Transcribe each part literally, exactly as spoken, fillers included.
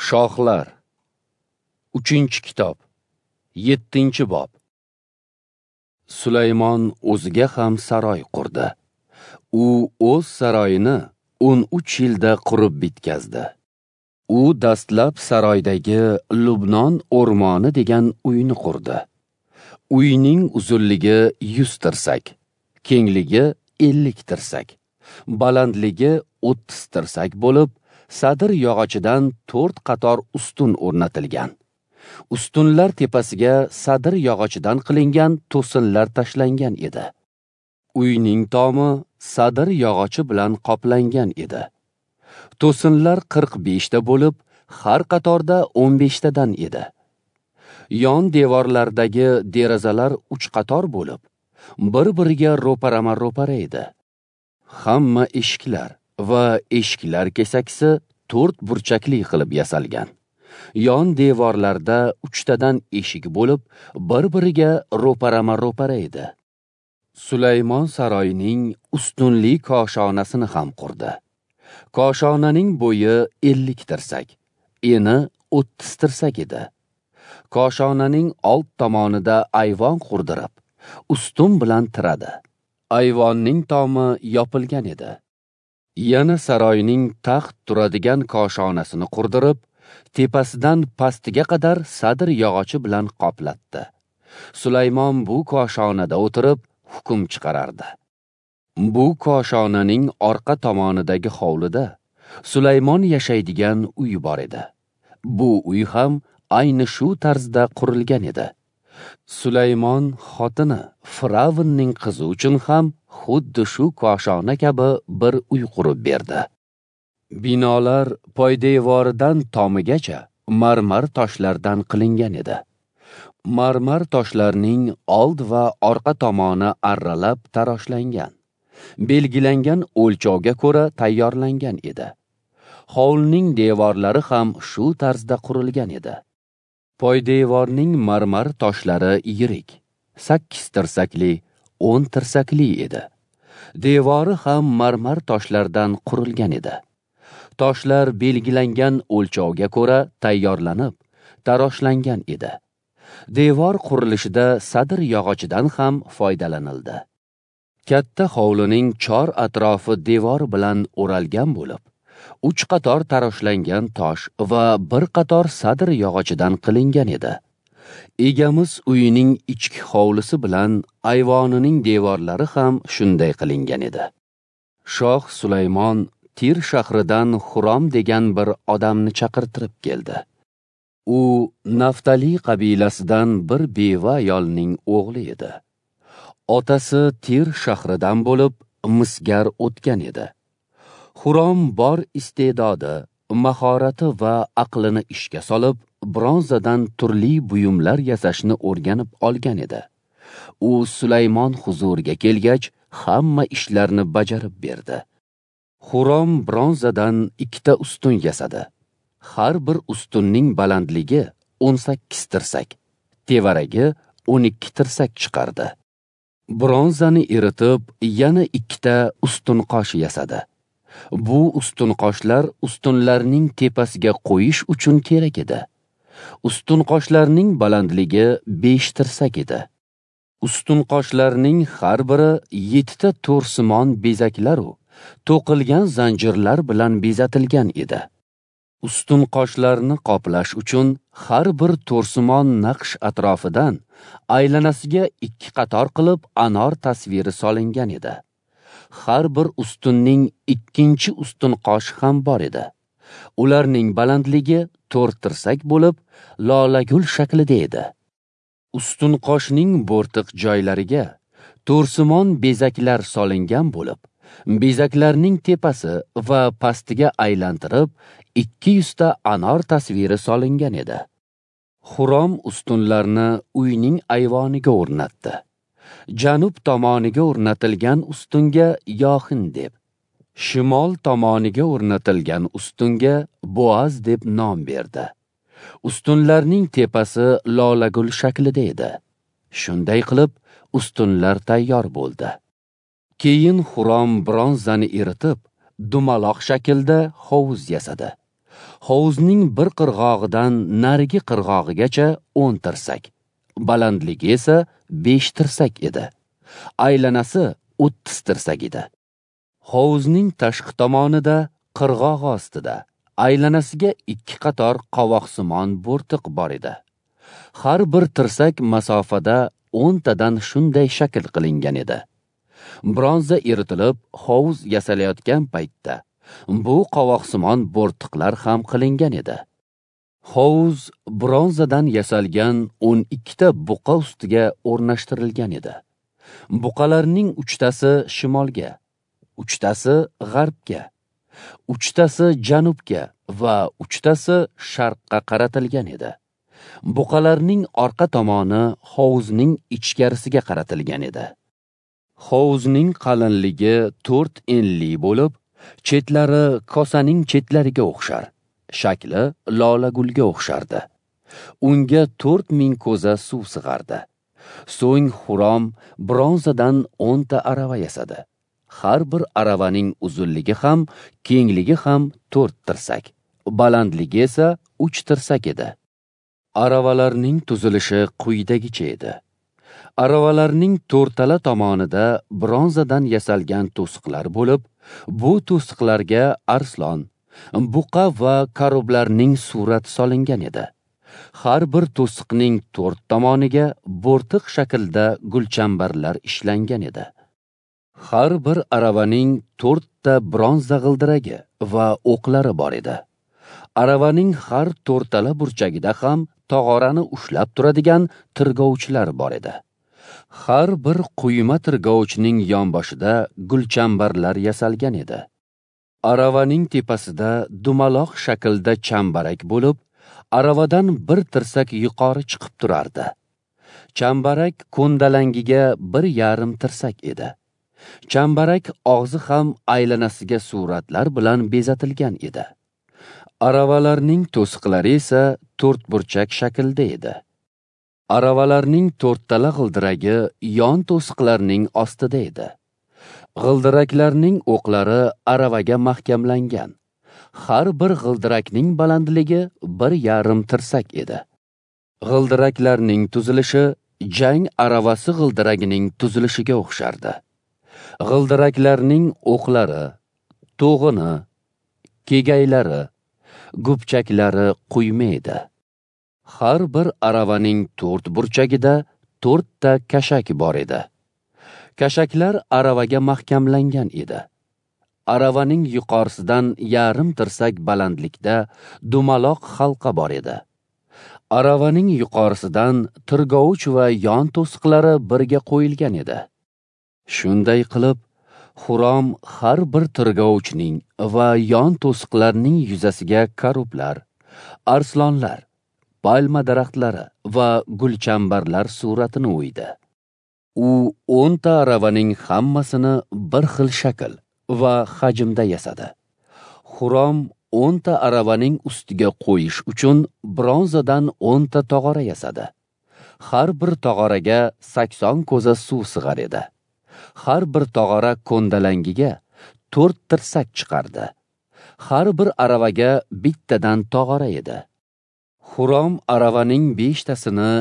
Shohlar. Uchinchi kitob. Yettinchi bob. Sulaymon o'ziga ham saroy qurdi. U o'z saroyini o'n uch yilda qurib bitkazdi. U dastlab saroydagi Lubnon o'rmoni degan uyni qurdi. Uyning uzunligi yuz tirsak, kengligi ellik tirsak, balandligi o'ttiz tirsak bo'lib, sadir yog'ochidan to'rt qator ustun o'rnatilgan. Ustunlar tepasiga sadir yog'ochidan qilingan to'sinlar tashlangan edi. Uyning tomi sadir yog'ochi bilan qoplangan edi. To'sinlar qirq beshta bo'lib, har qatorda o'n beshtadan edi. Yon devorlardagi derazalar uch qator bo'lib, bir-biriga ro'parama-ro'para edi. Hamma eshiklar va eshiklar kesakisi to'rt burchakli qilib yasalgan. Yon devorlarda uchtadan eshik bo'lib, bir-biriga ro'parama-ro'para edi. Sulaymon saroyining ustunli koshonasini ham qurdi. Koshonaning bo'yi ellik tirsak, eni o'ttiz tirsak edi. Koshonaning old tomonida ayvon qurdirib, ustun bilan tiradi. Ayvonning tomi yopilgan edi. Yana saroyning taxt turadigan koshonasini qurdirib, tepasidan pastiga qadar sadir yog'ochi bilan qoplatdi. Sulaymon bu koshonada o'tirib hukm chiqarardi. Bu koshonaning orqa tomonidagi hovlida Sulaymon yashaydigan uy bor edi. Bu uy ham ayni shu tarzda qurilgan edi. Sulaymon xotini Firavnning qizi uchun ham xuddi shu koshona kabi bir uy qurib berdi. Binolar poydevoridan tomigacha marmar toshlardan qilingan edi. Marmar toshlarning old va orqa tomoni arralab taroshlangan, belgilangan o'lchovga ko'ra tayyorlangan edi. Hovlining devorlari ham shu tarzda qurilgan edi. Poydevorning marmar toshlari yirik, sakkiz tirsakli, o'n tirsakli edi. Devori ham marmar toshlardan qurilgan edi. Toshlar belgilangan o'lchovga ko'ra tayyorlanib, taroshlangan edi. Devor qurilishida sadir yog'ochidan ham foydalanildi. Katta hovlining chor atrofi devor bilan o'ralgan bo'lib, uch qator taroshlangan tosh va bir qator sadir yog'ochidan qilingan edi. Egamiz uyining ichki hovlisi bilan ayvonining devorlari ham shunday qilingan edi. Shoh Sulaymon Tir shahridan Xurom degan bir odamni chaqirtirib keldi. U Naftali qabilasidan bir beva ayolning o'g'li edi. Otasi Tir shahridan bo'lib, misgar o'tgan edi. Xurom bor iste'dodi, mahorati va aqlini ishga solib, bronzadan turli buyumlar yasashni o'rganib olgan edi. U Sulaymon huzuriga kelgach, hamma ishlarni bajarib berdi. Xurom bronzadan ikkita ustun yasadi. Har bir ustunning balandligi o'n sakkiz tirsak, tevaragi o'n ikki tirsak chiqardi. Bronzani eritib, yana ikkita ustun qosh yasadi. Bu ustun qoshlar ustunlarning tepasiga qo'yish uchun kerak edi. Ustun qoshlarning balandligi besh tirsak edi. Ustun qoshlarning har biri yettita to'rsimon bezaklaru to'qilgan zanjirlar bilan bezatilgan edi. Ustun qoshlarni qoplash uchun har bir to'rsimon naqsh atrofidan aylanasiga ikki qator qilib anor tasviri solingan edi. Har bir ustunning ikkinchi ustun qoshi ham bor edi. Ularning balandligi to'rt tirsak bo'lib, lolagul shaklida edi. Ustun qoshning bo'rtiq joylariga to'rsimon bezaklar solingan bo'lib, bezaklarning tepasi va pastiga aylantirib ikki yuzta anor tasviri solingan edi. Xurom ustunlarni uyning ayvoniga o'rnatdi. Janub tomoniga o'rnatilgan ustunga Yohin deb, shimol tomoniga o'rnatilgan ustunga Boaz deb nom berdi. Ustunlarning tepasi lolagul shaklida edi. Shunday qilib ustunlar tayyor bo'ldi. Keyin Xurom bronzani eritib, dumaloq shaklda hovuz yasadi. Hovuzning bir qirg'og'idan narigi qirg'og'igacha o'n tirsak, balandligi esa besh tirsak edi. Aylanasi o'ttiz tirsak edi. Hovuzning tashqi tomonida, qirg'oq ostida, aylanasiga ikki qator qovoqsimon bo'rtiq bor edi. Har bir tirsak masofada o'ntadan shunday shakl qilingan edi. Bronza eritilib, hovuz yasalayotgan paytda bu qovoqsimon bo'rtiqlar ham qilingan edi. Hovuz bronzadan yasalgan o'n ikkita buqa ustiga o'rnashtirilgan edi. Buqalarning uchtasi shimolga, uchtasi g'arbga, uchtasi janubga va uchtasi sharqqa qaratilgan edi. Buqalarning orqa tomoni hovuzning ichkarisiga qaratilgan edi. Hovuzning qalinligi to'rt enli bo'lib, chetlari kosaning chetlariga o'xshar, shakli lolagulga o'xshardi. Unga to'rt ming ko'za suv sig'ardi. So'ng Xurom bronzadan o'nta arava yasadi. Har bir aravaning uzunligi ham, kengligi ham to'rt tirsak, balandligi esa uch tirsak edi. Aravalarning tuzilishi quyidagicha edi. Aravalarning to'rtala tomonida bronzadan yasalgan to'siqlar bo'lib, bu to'siqlarga arslon, buqa va karoblarning surati solingan edi. Har bir to'siqning to'rt tomoniga bo'rtiq shaklda gulchambarlar ishlangan edi. Har bir aravaning to'rtta bronza g'ildiragi va o'qlari bor edi. Aravaning har to'rtala burchagida ham tog'orani ushlab turadigan tirgovchilar bor edi. Har bir quyma tirgovchining yonboshida gulchambarlar yasalgan edi. Aravaning tepasida dumaloq shaklda chambarak bo'lib, aravadan bir tirsak yuqori chiqib turardi. Chambarak ko'ndalangiga bir yarim tirsak edi. Chambarak og'zi ham aylanasiga suratlar bilan bezatilgan edi. Aravalarning to'siqlari esa to'rtburchak shaklda edi. Aravalarning to'rttala g'ildiragi yon to'siqlarning ostida edi. G'ildiraklarning o'qlari aravaga mahkamlangan. Har bir g'ildirakning balandligi bir yarim tirsak edi. G'ildiraklarning tuzilishi jang aravasi g'ildiragining tuzilishiga o'xshardi. G'ildiraklarning o'qlari, to'g'ini, kegaylari, gupchaklari quyma edi. Har bir aravaning to'rt burchagida to'rtta kashak bor edi. Kashaklar aravaga mahkamlangan edi. Aravaning yuqorisidan yarim tirsak balandlikda dumaloq halqa bor edi. Aravaning yuqorisidan tirgovich va yon to'siqlari birga qo'yilgan edi. Shunday qilib, Xurom har bir tirgovichning va yon to'siqlarning yuzasiga karublar, arslonlar, palma daraxtlari va gulchambarlar suratini o'ydi. U o'nta aravaning hammasini bir xil shakl va hajmda yasadi. Xurom o'nta aravaning ustiga qo'yish uchun bronzadan o'nta tog'ora yasadi. Har bir tog'oraga sakson ko'za suv sig'ar edi. Har bir tog'ora ko'ndalangiga to'rt tirsak chiqardi. Har bir aravaga bittadan tog'ora edi. Xurom aravaning beshtasini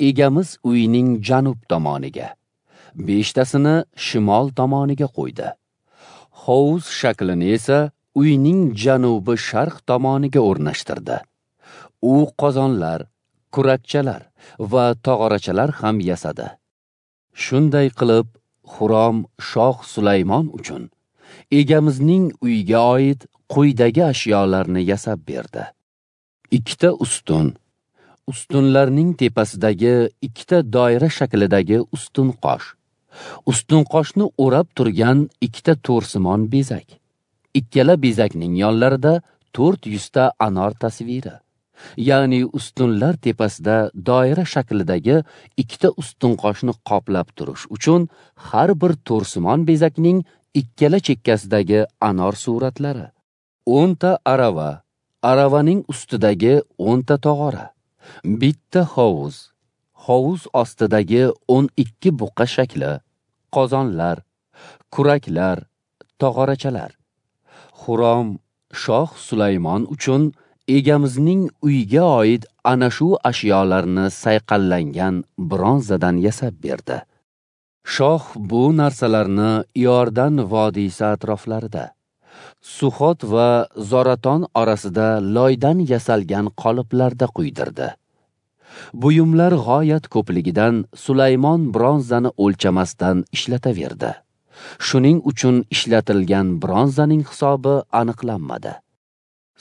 egamiz uyining janub tomoniga, beshtasini shimol tomoniga qo'ydi. Hovuz shaklini esa uyning janubi sharq tomoniga o'rnashtirdi. U qozonlar, kurakchalar va tog'orachalar ham yasadi. Shunday qilib, Xurom shoh Sulaymon uchun egamizning uyiga oid quyidagi ashyolarni yasab berdi. Ikkita ustun, ustunlarning tepasidagi ikkita doira shaklidagi ustun qosh, ustun qoshni o'rab turgan ikkita to'rsimon bezak, ikkala bezakning yonlarida to'rt yuzta anor tasviri, ya'ni ustunlar tepasida doira shaklidagi ikkita ustun qoshni qoplab turish uchun har bir to'rsimon bezakning ikkala chekkasidagi anor suratlari, o'nta arava, aravaning ustidagi o'nta tog'ora, bitta hovuz, hovuz ostidagi o'n ikki buqa shakli, qozonlar, kuraklar, tog'orachalar. Xurom shoh Sulaymon uchun Egamizning uyiga oid ana shu ashyolarni sayqallangan bronzadan yasab berdi. Shoh bu narsalarni Iordan vodiysi atroflarida, Suxot va Zoraton orasida loydan yasalgan qoliplarda quydirdi. Buyumlar g'oyat ko'pligidan Sulaymon bronzani o'lchamasdan ishlataverdi. Shuning uchun ishlatilgan bronzaning hisobi aniqlanmadi.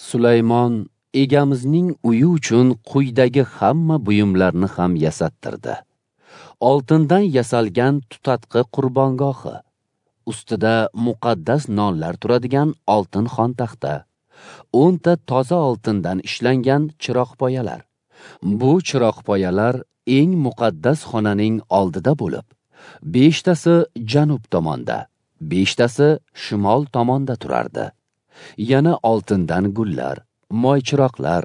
Sulaymon Egamizning uyi uchun quyidagi hamma buyumlarni ham yasattirdi. Oltindan yasalgan tutatqi qurbongohi, ustida muqaddas nonlar turadigan oltin xontaxta, o'nta toza oltindan ishlangan chiroqpoyalar. Bu chiroqpoyalar eng muqaddas xonaning oldida bo'lib, beshtasi janub tomonda, beshtasi shimol tomonda turardi. Yana oltindan gullar, moychiroqlar,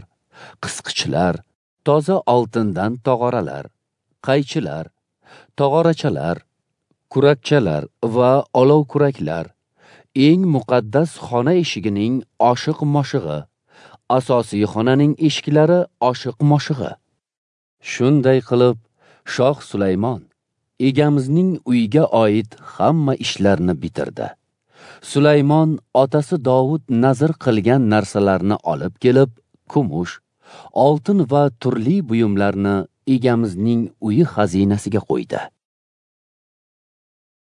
qisqichlar, toza oltindan tog'oralar, qaychilar, tog'orachalar, kurakchalar va olov kuraklar, eng muqaddas xona eshigining oshiq-moshig'i, asosiy xonaning eshiklari oshiq-moshig'i. Shunday qilib, Shoh Sulaymon Egamizning uyiga oid hamma ishlarni bitirdi. Sulaymon otasi Dovud nazr qilgan narsalarni olib kelib, kumush, oltin va turli buyumlarni Egamizning uyi xazinasiga qo'ydi.